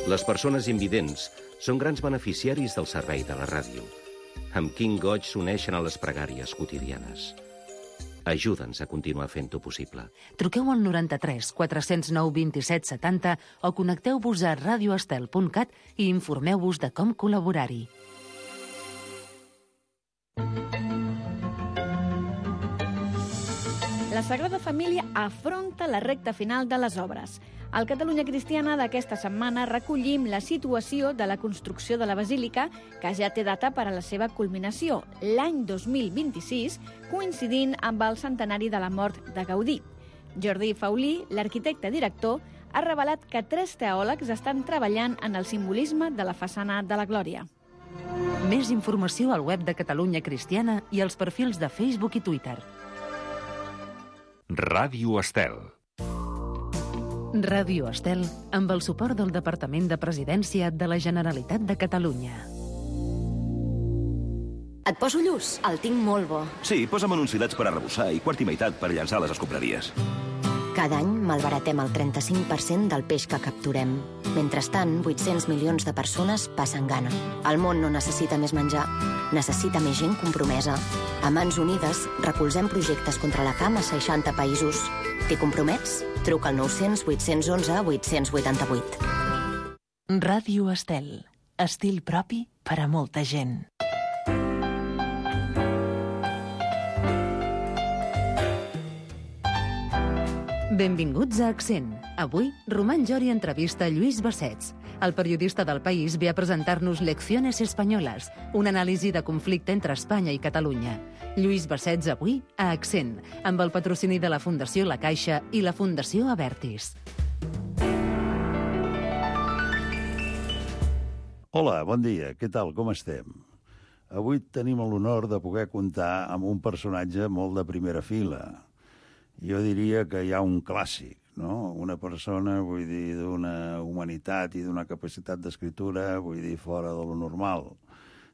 Les persones invidents són grans beneficiaris del servei de la ràdio. Amb quin goig s'uneixen a les pregàries quotidianes. Ajuda'ns a continuar fent-ho possible. Truqueu al 93 409 27 70 o connecteu-vos a radioestel.cat i informeu-vos de com col·laborar-hi. La Sagrada Família afronta la recta final de les obres. Al Catalunya Cristiana d'aquesta setmana recollim la situació de la construcció de la Basílica, que ja té data per a la seva culminació, l'any 2026, coincidint amb el centenari de la mort de Gaudí. Jordi Faulí, l'arquitecte director, ha revelat que 3 teòlegs estan treballant en el simbolisme de la façana de la Glòria. Més informació al web de Catalunya Cristiana i als perfils de Facebook i Twitter. Ràdio Estel. Ràdio Estel, amb el suport del Departament de Presidència de la Generalitat de Catalunya. Et poso lluç? El tinc molt bo. Sí, posa'm enunciats per arrebossar i quart i meitat per llançar les escombraries. Cada any malbaratem el 35% del peix que capturem. Mentrestant, 800 milions de persones passen gana. El món no necessita més menjar, necessita més gent compromesa. A Mans Unides recolzem projectes contra la fam a 60 països. T'hi compromets? Truca al 900 811 888. Ràdio Estel. Estil propi per a molta gent. Benvinguts a Accent. Avui, Román Llori entrevista Lluís Bassets. El periodista del País ve a presentar-nos Lecciones Españolas, una anàlisi de conflicte entre Espanya i Catalunya. Lluís Bassets avui a Accent, amb el patrocini de la Fundació La Caixa i la Fundació Abertis. Hola, bon dia. Què tal? Com estem? Avui tenim l'honor de poder comptar amb un personatge molt de primera fila. Jo diria que hi ha un clàssic, no? Una persona, vull dir, d'una humanitat i d'una capacitat d'escriptura, vull dir, fora de lo normal.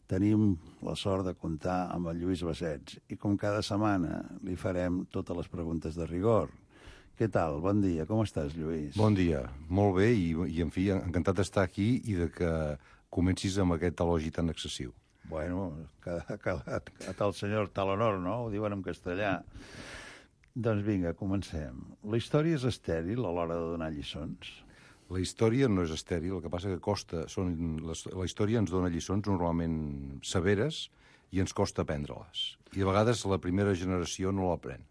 Tenim la sort de comptar amb el Lluís Bassets i com cada setmana li farem totes les preguntes de rigor. Què tal? Bon dia. Com estàs, Lluís? Bon dia. Molt bé i en fi, encantat d'estar aquí i de que comencis amb aquest elogi tan excessiu. Bueno, que a tal senyor tal honor, no? Ho diuen en castellà. Doncs vinga, comencem. La història és estèril a l'hora de donar lliçons? La història no és estèril, el que passa que costa. La història ens dona lliçons normalment severes i ens costa aprendre-les. I a vegades la primera generació no l'aprèn.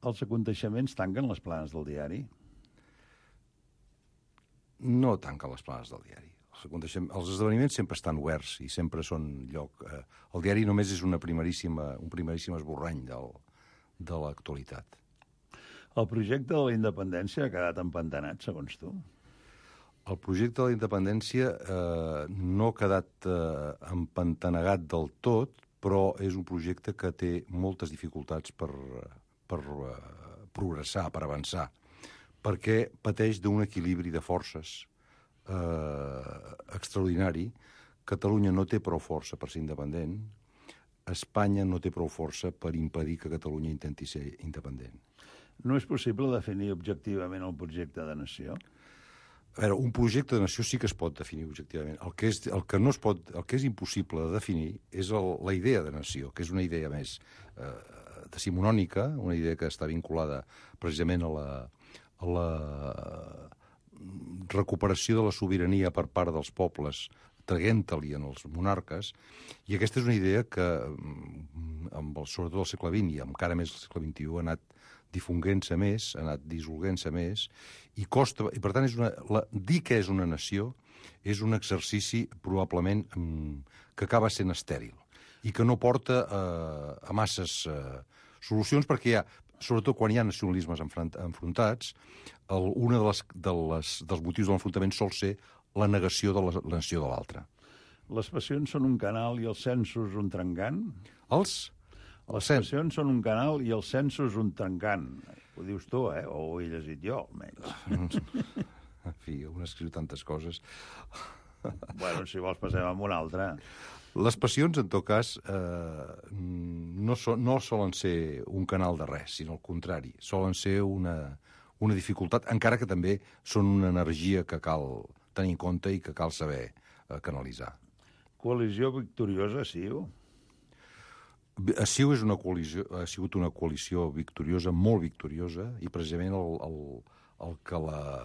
Els aconteixements tanquen les planes del diari? No tanquen les planes del diari. Els esdeveniments sempre estan oberts i sempre són lloc... El diari només és un primeríssim esborrany de l'actualitat. El projecte de la independència ha quedat empantanat, segons tu? El projecte de la independència no ha quedat empantanegat del tot, però és un projecte que té moltes dificultats per progressar, per avançar, perquè pateix d'un equilibri de forces extraordinari. Catalunya no té prou força per ser independent, Espanya no té prou força per impedir que Catalunya intenti ser independent. No és possible definir objectivament el projecte de nació? A veure, un projecte de nació sí que es pot definir objectivament. El que és impossible de definir és la idea de nació, que és una idea més decimonònica, una idea que està vinculada precisament a la recuperació de la sobirania per part dels pobles, traient-li en els monarques, i aquesta és una idea que, sobretot al segle XX i encara més al segle XXI, ha anat difonguent-se més, ha anat dissolguent-se més, i costa, i per tant dir que és una nació és un exercici probablement que acaba sent estèril i que no porta a masses solucions, perquè hi ha, sobretot quan hi ha nacionalismes enfrontats, un dels motius de l'enfrontament sol ser la negació de la nació de l'altre. Les passions són un canal i els censos un trencant? Les passions són un canal i els censos un trencant. Ho dius tu, o ho he llegit jo, almenys. En fi, un escriu tantes coses. Bueno, si vols passem amb una altra. Les passions, en tot cas, no solen ser un canal de res, sinó al contrari. Solen ser una dificultat, encara que també són una energia que cal tenir en compte i que cal saber canalitzar. Coalició victoriosa, CiU? CiU ha sigut una coalició victoriosa, molt victoriosa, i precisament el que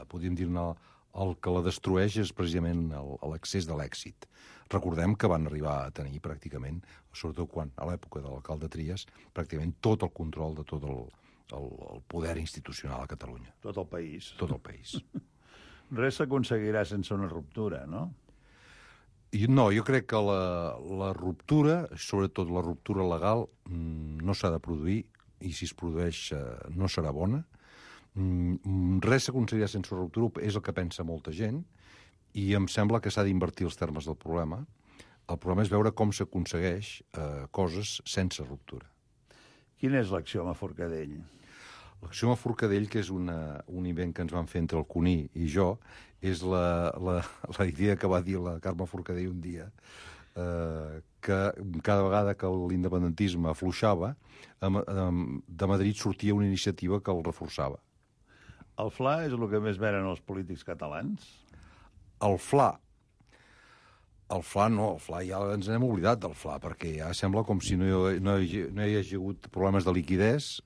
podríem dir-ne, el que la destrueix és precisament l'excés de l'èxit. Recordem que van arribar a tenir pràcticament, sobretot quan a l'època de l'alcalde Trias, pràcticament tot el control de tot el poder institucional a Catalunya. Tot el país. Tot el país. Res s'aconseguirà sense una ruptura, no? No, jo crec que la ruptura, sobretot la ruptura legal, no s'ha de produir, i si es produeix no serà bona. Res s'aconseguirà sense ruptura, és el que pensa molta gent, i em sembla que s'ha d'invertir els termes del problema. El problema és veure com s'aconsegueix coses sense ruptura. Quina és l'axioma Forcadell? L'axioma Forcadell, que és un invent que ens van fer entre el Cuní i jo, és la idea que va dir la Carme Forcadell un dia, que cada vegada que l'independentisme afluixava, de Madrid sortia una iniciativa que el reforçava. El FLA és el que més venen els polítics catalans? El FLA no, el FLA ja ens n'hem oblidat del FLA, perquè ja sembla com si no hi hagi hagut problemes de liquidez,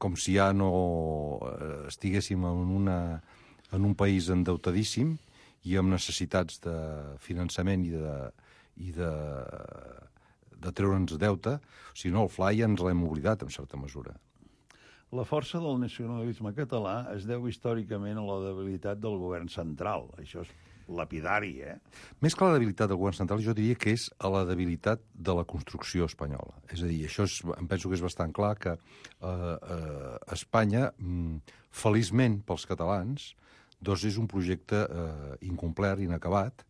com si ja no estiguéssim en un país endeutadíssim i amb necessitats de finançament i de treure'ns deute. O sigui, no, el FLA ja ens l'hem oblidat, en certa mesura. La força del nacionalisme català es deu històricament a la debilitat del govern central. Això és lapidari, Més que la debilitat del govern central, jo diria que és a la debilitat de la construcció espanyola. És a dir, això em penso que és bastant clar que Espanya, feliçment pels catalans, és un projecte incomplet, inacabat,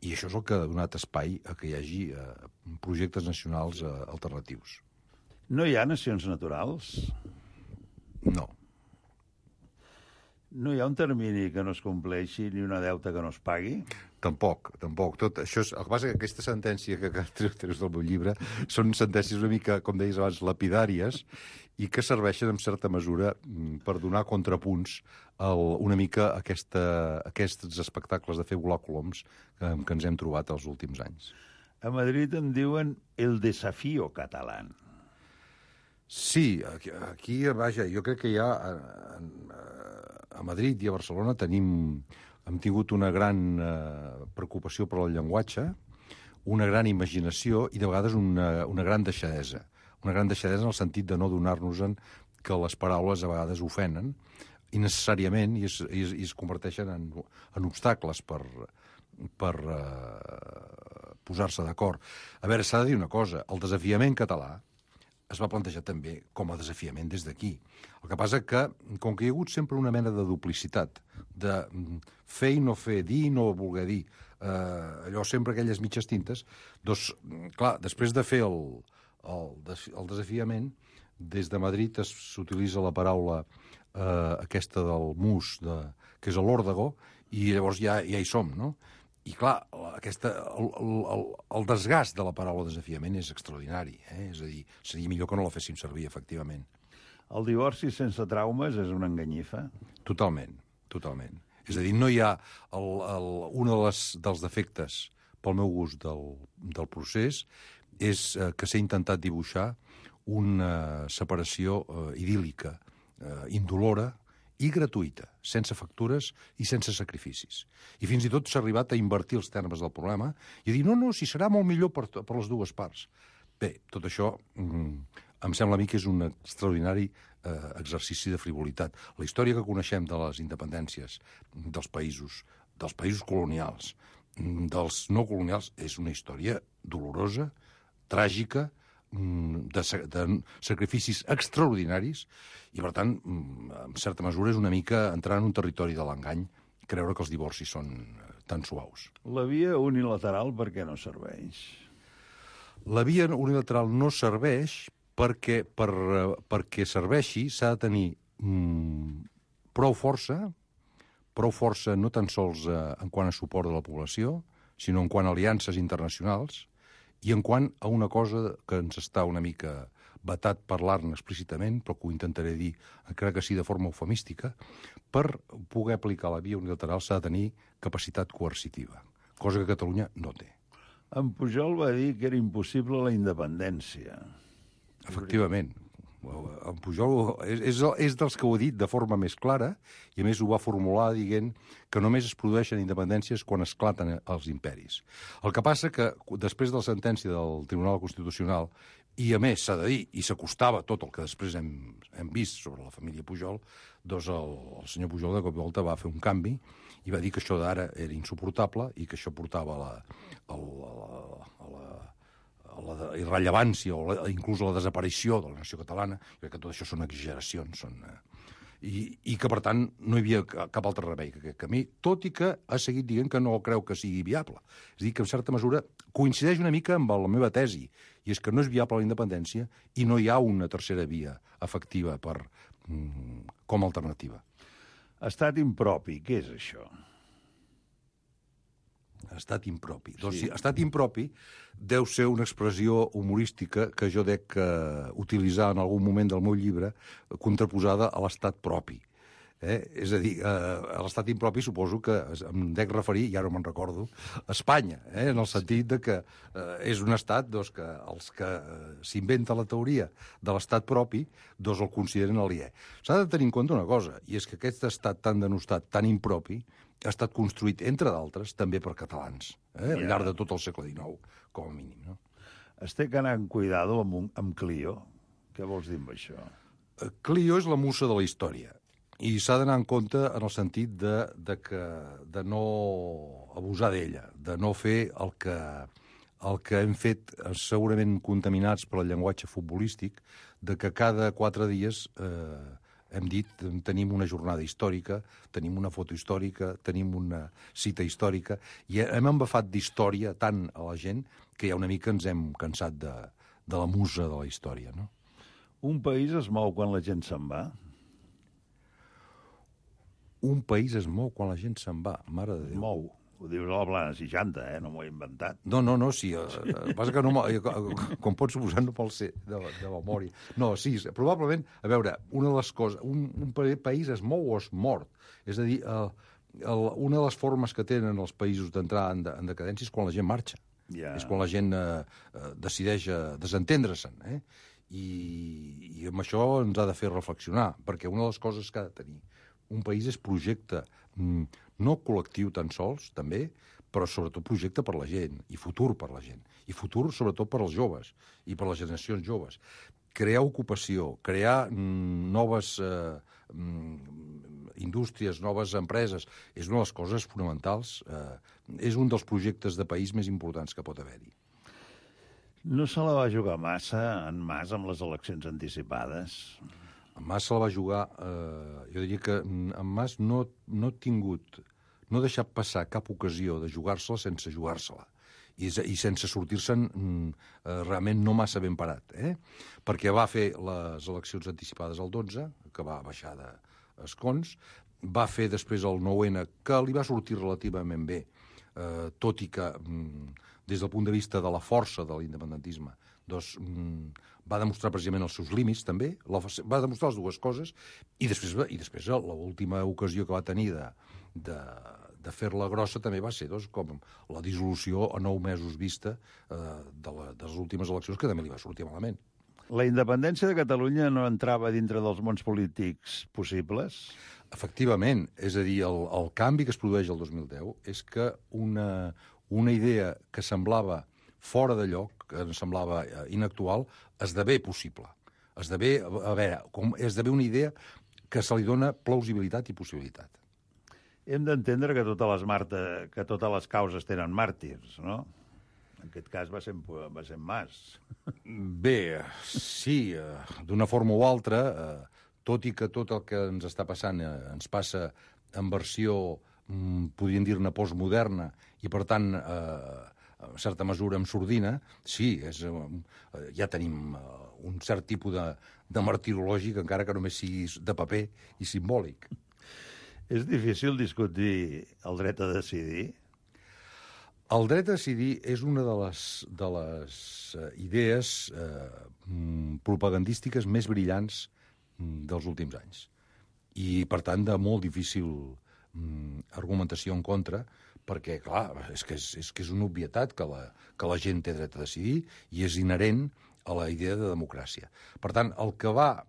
i això és el que ha donat espai a que hi hagi projectes nacionals alternatius. No hi ha nacions naturals? No. No hi ha un termini que no es compleixi ni una deuta que no es pagui? Tampoc. Tot això el que passa és que aquesta sentència que treus del meu llibre són sentències una mica, com deies abans, lapidàries i que serveixen en certa mesura per donar contrapunts una mica a aquests espectacles de fer volar coloms que ens hem trobat els últims anys. A Madrid en diuen el desafío català. Sí, aquí, vaja, jo crec que ja a Madrid i a Barcelona hem tingut una gran preocupació per el llenguatge, una gran imaginació i de vegades una gran deixadesa. Una gran deixadesa en el sentit de no donar-nos-en que les paraules a vegades ofenen innecessàriament i es converteixen en obstacles per posar-se d'acord. A veure, s'ha de dir una cosa, el desafiament català es va plantejar també com a desafiament des d'aquí. El que passa que, com que hi ha hagut sempre una mena de duplicitat, de fer i no fer, dir i no voler dir, allò sempre aquelles mitges tintes, doncs, clar, després de fer el desafiament, des de Madrid s'utilitza la paraula aquesta del mus, que és l'òrdago, i llavors ja hi som, no? I, clar, el desgast de la paraula desafiament és extraordinari. És a dir, seria millor que no la féssim servir, efectivament. El divorci sense traumes és una enganyifa? Totalment. És a dir, no hi ha... Un dels defectes, pel meu gust, del procés és que s'ha intentat dibuixar una separació idíl·lica, indolora, i gratuïta, sense factures i sense sacrificis. I fins i tot s'ha arribat a invertir els termes del problema i a dir, no, si serà molt millor per les dues parts. Bé, tot això em sembla a mi que és un extraordinari exercici de frivolitat. La història que coneixem de les independències dels països colonials, dels no colonials, és una història dolorosa, tràgica, de sacrificis extraordinaris i, per tant, en certa mesura és una mica entrar en un territori de l'engany creure que els divorcis són tan suaus. La via unilateral per què no serveix? La via unilateral no serveix perquè serveixi s'ha de tenir prou força no tan sols en quant a suport de la població, sinó en quant a aliances internacionals i en quant a una cosa que ens està una mica vetat parlar-ne explícitament, però que ho intentaré dir, encara que sí de forma eufemística, per poder aplicar la via unilateral s'ha de tenir capacitat coercitiva, cosa que Catalunya no té. En Pujol va dir que era impossible la independència. Efectivament. En Pujol és dels que ho ha dit de forma més clara i, a més, ho va formular dient que només es produeixen independències quan esclaten els imperis. El que passa que, després de la sentència del Tribunal Constitucional, i, a més, s'ha de dir, i s'acostava tot el que després hem vist sobre la família Pujol, doncs el senyor Pujol de cop i volta va fer un canvi i va dir que això d'ara era insuportable i que això portava a la irrellevància o inclús a la desaparició de la nació catalana. Jo crec que tot això són exageracions. I que, per tant, no hi havia cap altre remei que aquest camí, tot i que ha seguit dient que no creu que sigui viable. És a dir, que en certa mesura coincideix una mica amb la meva tesi, i és que no és viable la independència i no hi ha una tercera via efectiva com a alternativa. Estat impropi, què és això? Estat impropi. Sí. Doncs sí, estat impropi deu ser una expressió humorística que jo dec utilitzar en algun moment del meu llibre contraposada a l'estat propi. És a dir, a l'estat impropi suposo que em dec referir, i ara me'n recordo, a Espanya, en el sentit de que és un estat que els que s'inventa la teoria de l'estat propi el consideren aliè. S'ha de tenir en compte una cosa, i és que aquest estat tan denostat, tan impropi, ha estat construït, entre d'altres, també per catalans, al llarg de tot el segle XIX, com a mínim. No? Es té que anar amb cuidado amb Clio. Què vols dir amb això? Clio és la musa de la història, i s'ha d'anar en compte en el sentit de no abusar d'ella, de no fer el que hem fet segurament contaminats per el llenguatge futbolístic, de que cada 4 dies hem dit tenim una jornada històrica, tenim una foto històrica, tenim una cita històrica, i hem embafat d'història tant a la gent que ja una mica ens hem cansat de la musa de la història. No? Un país es mou quan la gent se'n va? Un país es mou quan la gent se'n va, mare de Déu. Mou. Ho dius a la plana 60, no m'ho he inventat. No, sí. Passa que no, com pots suposar, no pot ser de memòria. No, sí, probablement, a veure, una de les coses, un país es mou o es mort. És a dir, una de les formes que tenen els països d'entrar en decadència és quan la gent marxa. És quan la gent decideix desentendre-se'n. I amb això ens ha de fer reflexionar, perquè una de les coses que ha de tenir un país és projecte, no col·lectiu tan sols, també, però sobretot projecte per la gent, i futur per la gent, i futur sobretot per als joves, i per les generacions joves. Crear ocupació, crear noves indústries, noves empreses, és una de les coses fonamentals, és un dels projectes de país més importants que pot haver-hi. No se la va jugar massa en Mas amb les eleccions anticipades? En Mas se la va jugar, jo diria que en Mas no ha tingut, no ha deixat passar cap ocasió de jugar-se-la sense jugar-se-la. I sense sortir-se'n realment no massa ben parat. Perquè va fer les eleccions anticipades el 12, que va baixar d'escons, va fer després el 9-N, que li va sortir relativament bé, tot i que, des del punt de vista de la força de l'independentisme, doncs va demostrar precisament els seus límits, també, va demostrar les dues coses, i després l'última ocasió que va tenir de fer-la grossa també va ser com la dissolució a 9 mesos vista de les últimes eleccions, que també li va sortir malament. La independència de Catalunya no entrava dintre dels mons polítics possibles? Efectivament, és a dir, el canvi que es produeix el 2010 és que una idea que semblava fora de lloc, que ens semblava inactual, esdevé possible. Esdevé una idea que se li dona plausibilitat i possibilitat. Hem d'entendre que totes les causes tenen màrtirs, no? En aquest cas va ser Mas. Bé, sí, d'una forma o altra, tot i que tot el que ens està passant ens passa en versió, podríem dir-ne, postmoderna, i per tant, en certa mesura, amb sordina, sí, ja tenim un cert tipus de martirològic, encara que només sigui de paper i simbòlic. És difícil discutir el dret a decidir? El dret a decidir és una de les idees propagandístiques més brillants dels últims anys. I, per tant, de molt difícil argumentació en contra, perquè, clar, és que és una obvietat que la gent té dret a decidir i és inherent a la idea de democràcia. Per tant, el que va,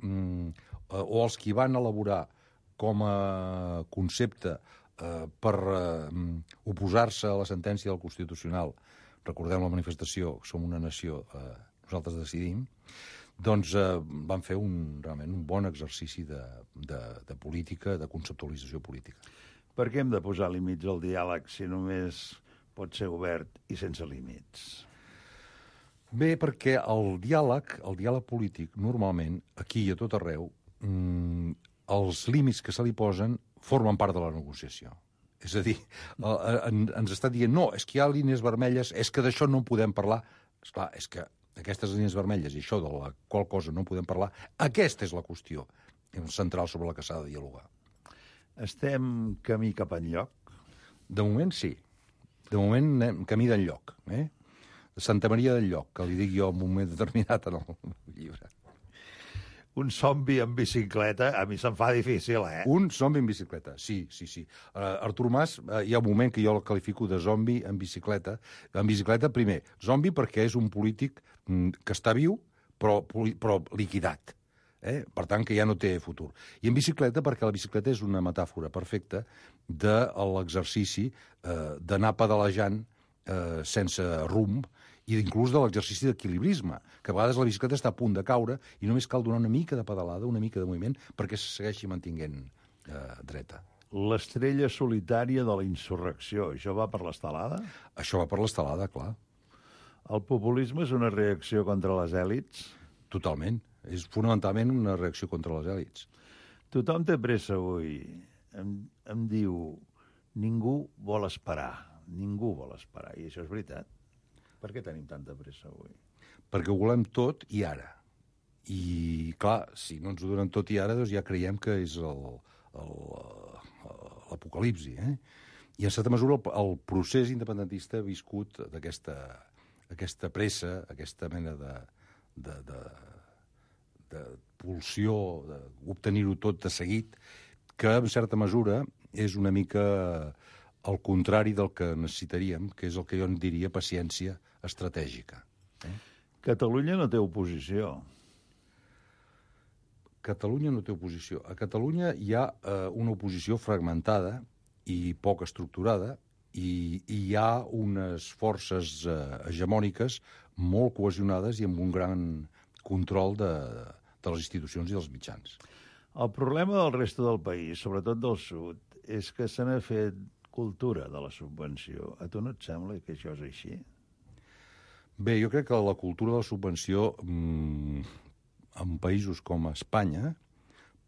o els qui van elaborar com a concepte per oposar-se a la sentència del Constitucional, recordem la manifestació, som una nació, nosaltres decidim, doncs van fer realment un bon exercici de política, de conceptualització política. Per què hem de posar límits al diàleg si només pot ser obert i sense límits? Bé, perquè el diàleg polític, normalment, aquí i a tot arreu, els límits que se li posen formen part de la negociació. És a dir, ens està dient, no, és que hi ha línies vermelles, és que d'això no en podem parlar. Esclar, és que aquestes línies vermelles i això de la qual cosa no en podem parlar, aquesta és la qüestió central sobre la que s'ha de dialogar. Estem camí cap enlloc? De moment, sí. De moment anem camí d'enlloc. Santa Maria del Lloc, que li dic jo en un moment determinat en el llibre. Un zombi en bicicleta, a mi se'm fa difícil, Un zombi en bicicleta, sí. Artur Mas, hi ha un moment que jo el qualifico de zombi en bicicleta. En bicicleta, primer, zombi perquè és un polític que està viu, però liquidat. Per tant, que ja no té futur. I en bicicleta perquè la bicicleta és una metàfora perfecta de l'exercici d'anar pedalejant sense rumb, i inclús de l'exercici d'equilibrisme, que a vegades la bicicleta està a punt de caure i només cal donar una mica de pedalada, una mica de moviment, perquè se segueixi mantinguent dreta. L'estrella solitària de la insurrecció, això va per l'estelada? Això va per l'estelada, clar. El populisme és una reacció contra les èlits? Totalment. És fonamentalment una reacció contra les èlits. Tothom té pressa avui. Em diu, ningú vol esperar, i això és veritat. Per què tenim tanta pressa avui? Perquè ho volem tot i ara. I, clar, si no ens ho donen tot i ara, doncs ja creiem que és l'apocalipsi. I, en certa mesura, el procés independentista ha viscut d'aquesta pressa, aquesta mena de pulsió, d'obtenir-ho tot de seguit, que, en certa mesura, és una mica el contrari del que necessitaríem, que és el que jo en diria paciència estratègica. Catalunya no té oposició. Catalunya no té oposició. A Catalunya hi ha una oposició fragmentada i poc estructurada, i hi ha unes forces hegemòniques molt cohesionades i amb un gran control de les institucions i dels mitjans. El problema del reste del país, sobretot del sud, és que se n'ha fet cultura de la subvenció. A tu no et sembla que això és així? Bé, jo crec que la cultura de la subvenció en països com Espanya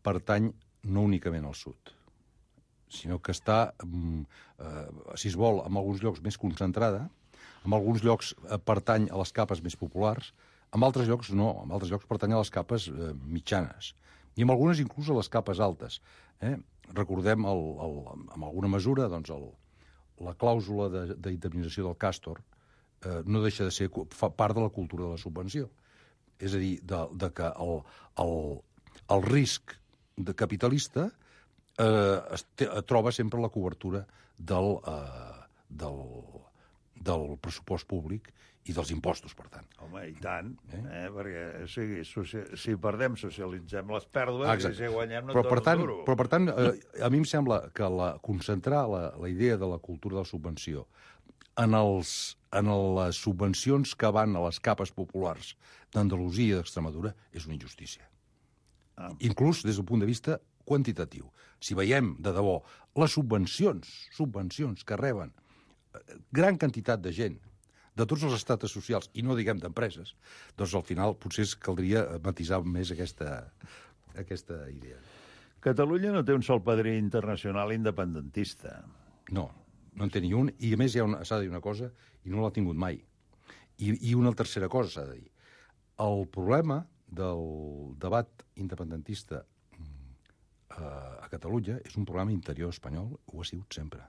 pertany no únicament al sud, sinó que està, si es vol, en alguns llocs més concentrada, en alguns llocs pertany a les capes més populars, en altres llocs no, en altres llocs pertany a les capes mitjanes, i en algunes inclús a les capes altes. Recordem, en alguna mesura, doncs, la clàusula d'indemnització del Càstor no deixa de ser part de la cultura de la subvenció. És a dir, que el risc capitalista troba sempre la cobertura del pressupost públic i dels impostos, per tant. Home, i tant, perquè si perdem socialitzem les pèrdues. Exacte. I si guanyem no però, per tant, duro. Però, per tant, a mi em sembla que concentrar la idea de la cultura de la subvenció en les subvencions que van a les capes populars d'Andalusia i d'Extremadura és una injustícia. Inclús des del punt de vista quantitatiu. Si veiem, de debò, les subvencions que reben gran quantitat de gent de tots els estrates socials, i no diguem d'empreses, doncs al final potser caldria matisar més aquesta idea. Catalunya no té un sol padrí internacional independentista. No en té ni un, i a més s'ha de dir una cosa, i no l'ha tingut mai. I una tercera cosa s'ha de dir. El problema del debat independentista a Catalunya és un problema interior espanyol, ho ha sigut sempre.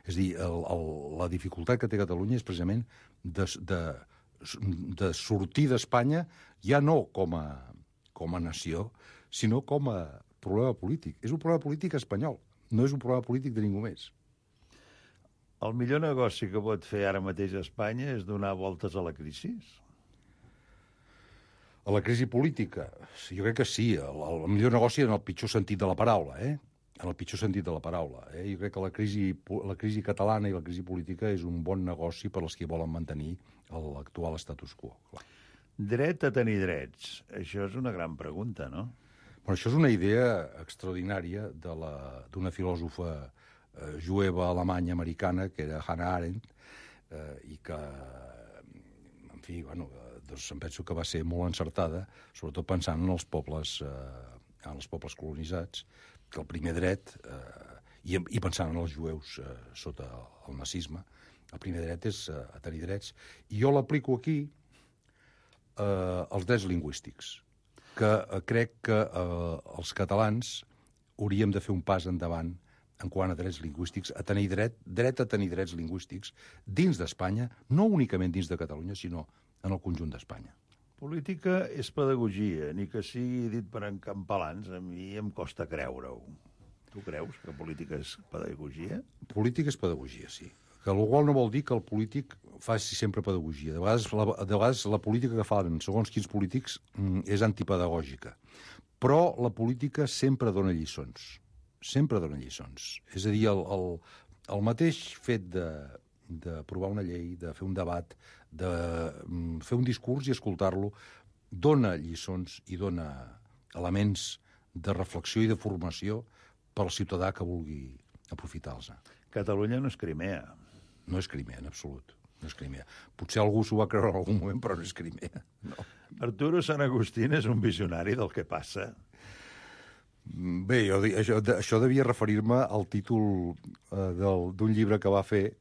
És a dir, la dificultat que té Catalunya és precisament de sortir d'Espanya ja no com a nació, sinó com a problema polític. És un problema polític espanyol, no és un problema polític de ningú més. El millor negoci que pot fer ara mateix Espanya és donar voltes a la crisi? A la crisi política, jo crec que sí. El millor negoci en el pitjor sentit de la paraula, En el pitjor sentit de la paraula. Jo crec que la crisi catalana i la crisi política és un bon negoci per als que volen mantenir l'actual status quo. Clar. Dret a tenir drets. Això és una gran pregunta, no? Bueno, això és una idea extraordinària d'una filòsofa jueva alemanya americana, que era Hannah Arendt, i que, en fi, bueno, doncs em penso que va ser molt encertada, sobretot pensant en els pobles colonitzats, que el primer dret, i pensant en els jueus sota el nazisme, el primer dret és a tenir drets. I jo l'aplico aquí als drets lingüístics, que crec que els catalans hauríem de fer un pas endavant en quant a drets lingüístics, a tenir dret a tenir drets lingüístics dins d'Espanya, no únicament dins de Catalunya, sinó en el conjunt d'Espanya. Política és pedagogia, ni que sigui dit per encampalans, a mi em costa creure-ho. Tu creus que política és pedagogia? Política és pedagogia, sí. Que el qual no vol dir que el polític faci sempre pedagogia. De vegades la política que fan segons quins polítics és antipedagògica. Però la política sempre dona lliçons. Sempre dona lliçons. És a dir, el mateix fet d'aprovar una llei, de fer un debat, de fer un discurs i escoltar-lo, dona lliçons i dona elements de reflexió i de formació per al ciutadà que vulgui aprofitar-los. Catalunya no és Crimea. No és Crimea, en absolut. No és Crimea. Potser algú s'ho va creure en algun moment, però no és Crimea. No. Arturo Sant Agustín és un visionari del que passa. Bé, això devia referir-me al títol d'un llibre que va fer.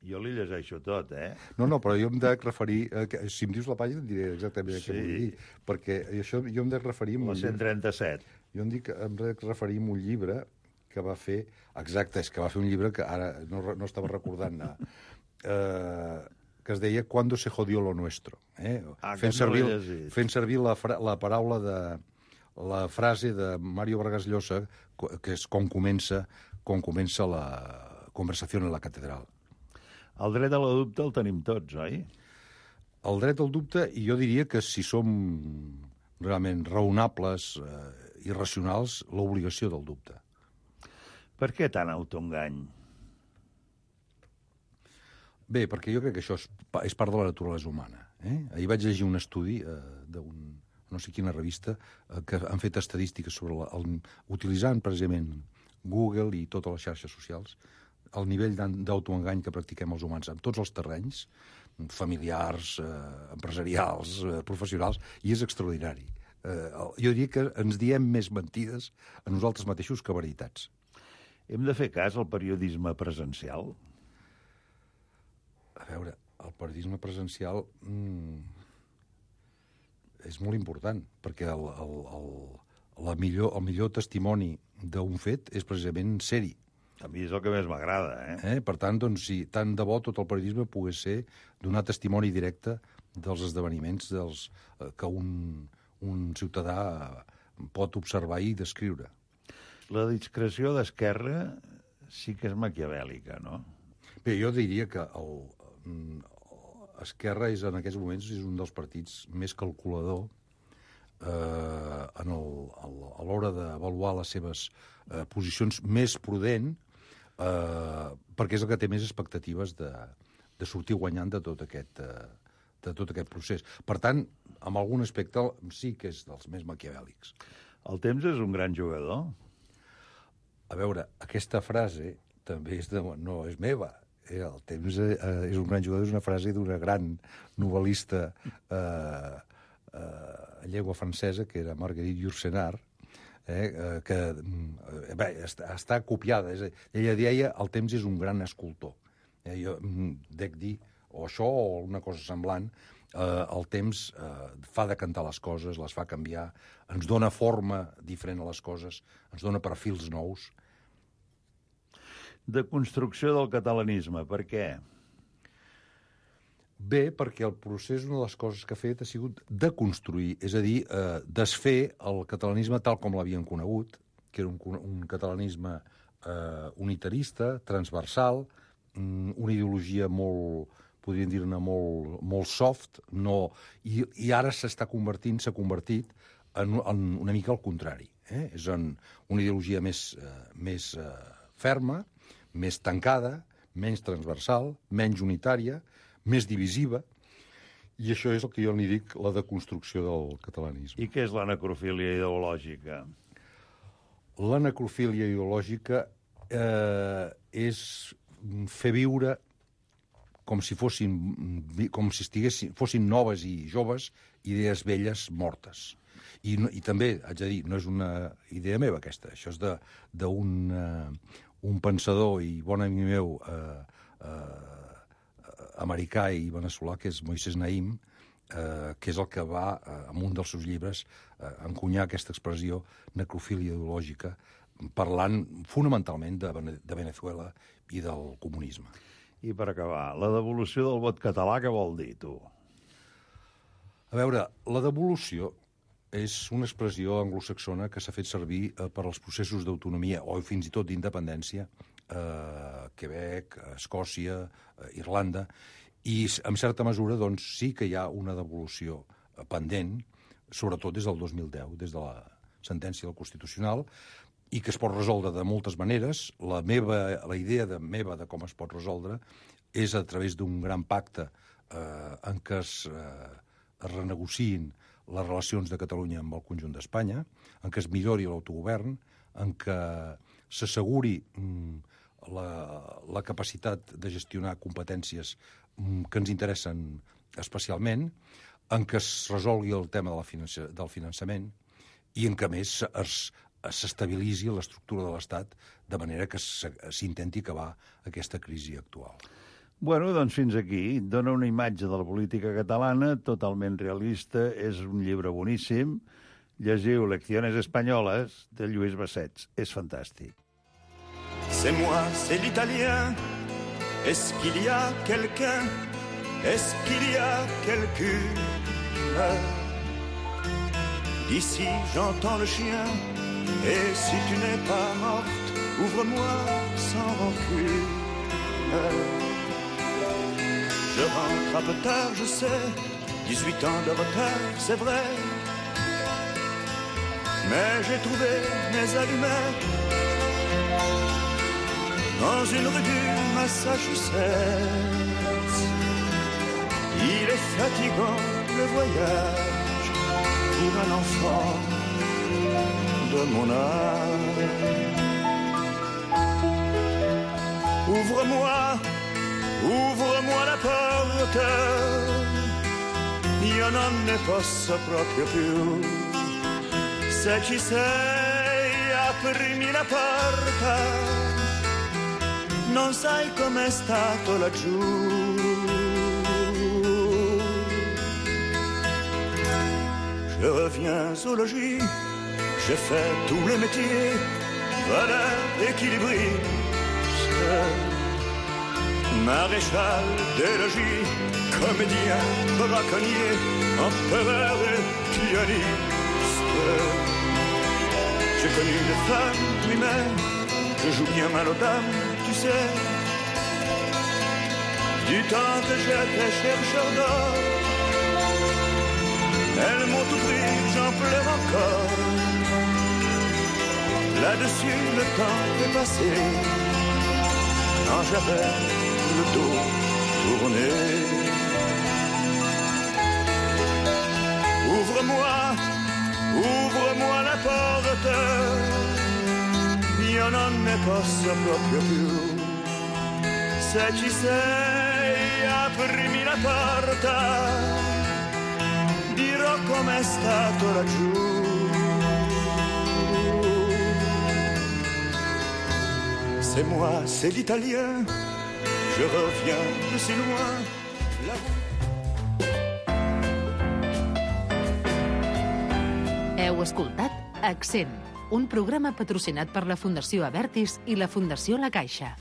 Jo li llegeixo tot, No, però jo em dec referir... Si em dius la pàgina et diré exactament què vull dir. Perquè jo em dec referir... La 137. Jo em dec referir a un llibre que va fer... Exacte, és que va fer un llibre que ara no estava recordant que es deia Cuando se jodió lo nuestro. Fent servir la paraula de... la frase de Mario Vargas Llosa, que és com comença la conversació en la catedral. El dret a la dubte el tenim tots, oi? El dret al dubte, i jo diria que si som realment raonables i racionals, l'obligació del dubte. Per què tant autoengany? Bé, perquè jo crec que això és part de la naturalesa humana. Ahir vaig llegir un estudi no sé quina revista, que han fet estadístiques sobre utilitzant precisament Google i totes les xarxes socials, el nivell d'autoengany que practiquem els humans en tots els terrenys, familiars, empresarials, professionals, i és extraordinari. Jo diria que ens diem més mentides a nosaltres mateixos que veritats. Hem de fer cas al periodisme presencial? A veure, el periodisme presencial... és molt important, perquè el millor testimoni d'un fet és precisament ser-hi. A mi és el que més m'agrada, Per tant, doncs, si tant de bo tot el periodisme pogués ser donar testimoni directe dels esdeveniments que un ciutadà pot observar i descriure. La discreció d'Esquerra sí que és maquiavèlica, no? Bé, jo diria que Esquerra en aquests moments és un dels partits més calculador a l'hora d'avaluar les seves posicions, més prudent, perquè és el que té més expectatives de sortir guanyant de tot aquest procés. Per tant, en algun aspecte sí que és dels més maquiavèlics. El temps és un gran jugador? A veure, aquesta frase també no és meva. El temps és un gran jugador, és una frase d'una gran novel·lista en llengua francesa, que era Marguerite Yourcenar, que està copiada. Ella deia el temps és un gran escultor. Jo dec dir, o això o una cosa semblant, el temps fa decantar les coses, les fa canviar, ens dona forma diferent a les coses, ens dona perfils nous. de construcció del catalanisme. Per què? Bé, perquè el procés, una de les coses que ha fet ha sigut deconstruir, és a dir, desfer el catalanisme tal com l'havien conegut, que era un catalanisme unitarista, transversal, una ideologia molt, podríem dir-ne, molt soft, i ara s'ha convertit en una mica al contrari. És una ideologia més ferma, més tancada, menys transversal, menys unitària, més divisiva, i això és el que jo n'hi dic la deconstrucció del catalanisme. I què és la necrofília ideològica? La necrofília ideològica és fer viure com si fossin noves i joves idees velles mortes. I també, haig de dir, no és una idea meva aquesta, això és d'un pensador i bon amic meu americà i veneçolà, que és Moisés Naim, que és el que va, en un dels seus llibres, encunyar aquesta expressió necrofília ideològica, parlant fonamentalment de Venezuela i del comunisme. I per acabar, la devolució del vot català, què vol dir, tu? A veure, la devolució és una expressió anglosaxona que s'ha fet servir per als processos d'autonomia o fins i tot d'independència, Quebec, Escòcia, Irlanda, i en certa mesura doncs, sí que hi ha una devolució pendent, sobretot des del 2010, des de la sentència del Constitucional, i que es pot resoldre de moltes maneres. La idea meva de com es pot resoldre és a través d'un gran pacte en què es renegociïn les relacions de Catalunya amb el conjunt d'Espanya, en què es millori l'autogovern, en què s'asseguri la capacitat de gestionar competències que ens interessen especialment, en què es resolgui el tema del finançament i en què, a més, s'estabilitzi l'estructura de l'Estat de manera que s'intenti acabar aquesta crisi actual. Bueno, doncs fins aquí. Dona una imatge de la política catalana totalment realista. És un llibre boníssim. Llegiu Lecciones Españolas de Lluís Bassets. És fantàstic. C'est moi, c'est l'italien. Est-ce qu'il y a quelqu'un? Est-ce qu'il y a quelqu'une? D'ici j'entends le chien. Et si tu n'es pas morte, ouvre-moi sans rancune. Je rentre un peu tard, je sais, 18 ans de retard, c'est vrai. Mais j'ai trouvé mes allumettes dans une rue du Massachusetts. Il est fatigant le voyage pour un enfant de mon âge. Ouvre-moi la porte, io non ne posso proprio più. Se ci sei, aprimi la porta, non sai com'è stato laggiù. Je reviens au logis, j'ai fait tous les métiers, valeur, équilibriste, maréchal des logis, comédien, braconnier, empereur et pianiste. J'ai connu des femmes humaines, je joue bien mal aux dames, tu sais, du temps que j'étais chercheur d'or. Elles m'ont tout pris, j'en pleure encore. Là-dessus, le temps est passé, quand j'avais le dos tourné. Ouvre-moi la porte, io non ne posso proprio più. Se ci sei, aprimi la porta, dirò com'è stato laggiù. C'est moi, c'est l'italien, je reviens de si loin. Heu escoltat Accent, un programa patrocinat per la Fundació Abertis i la Fundació La Caixa.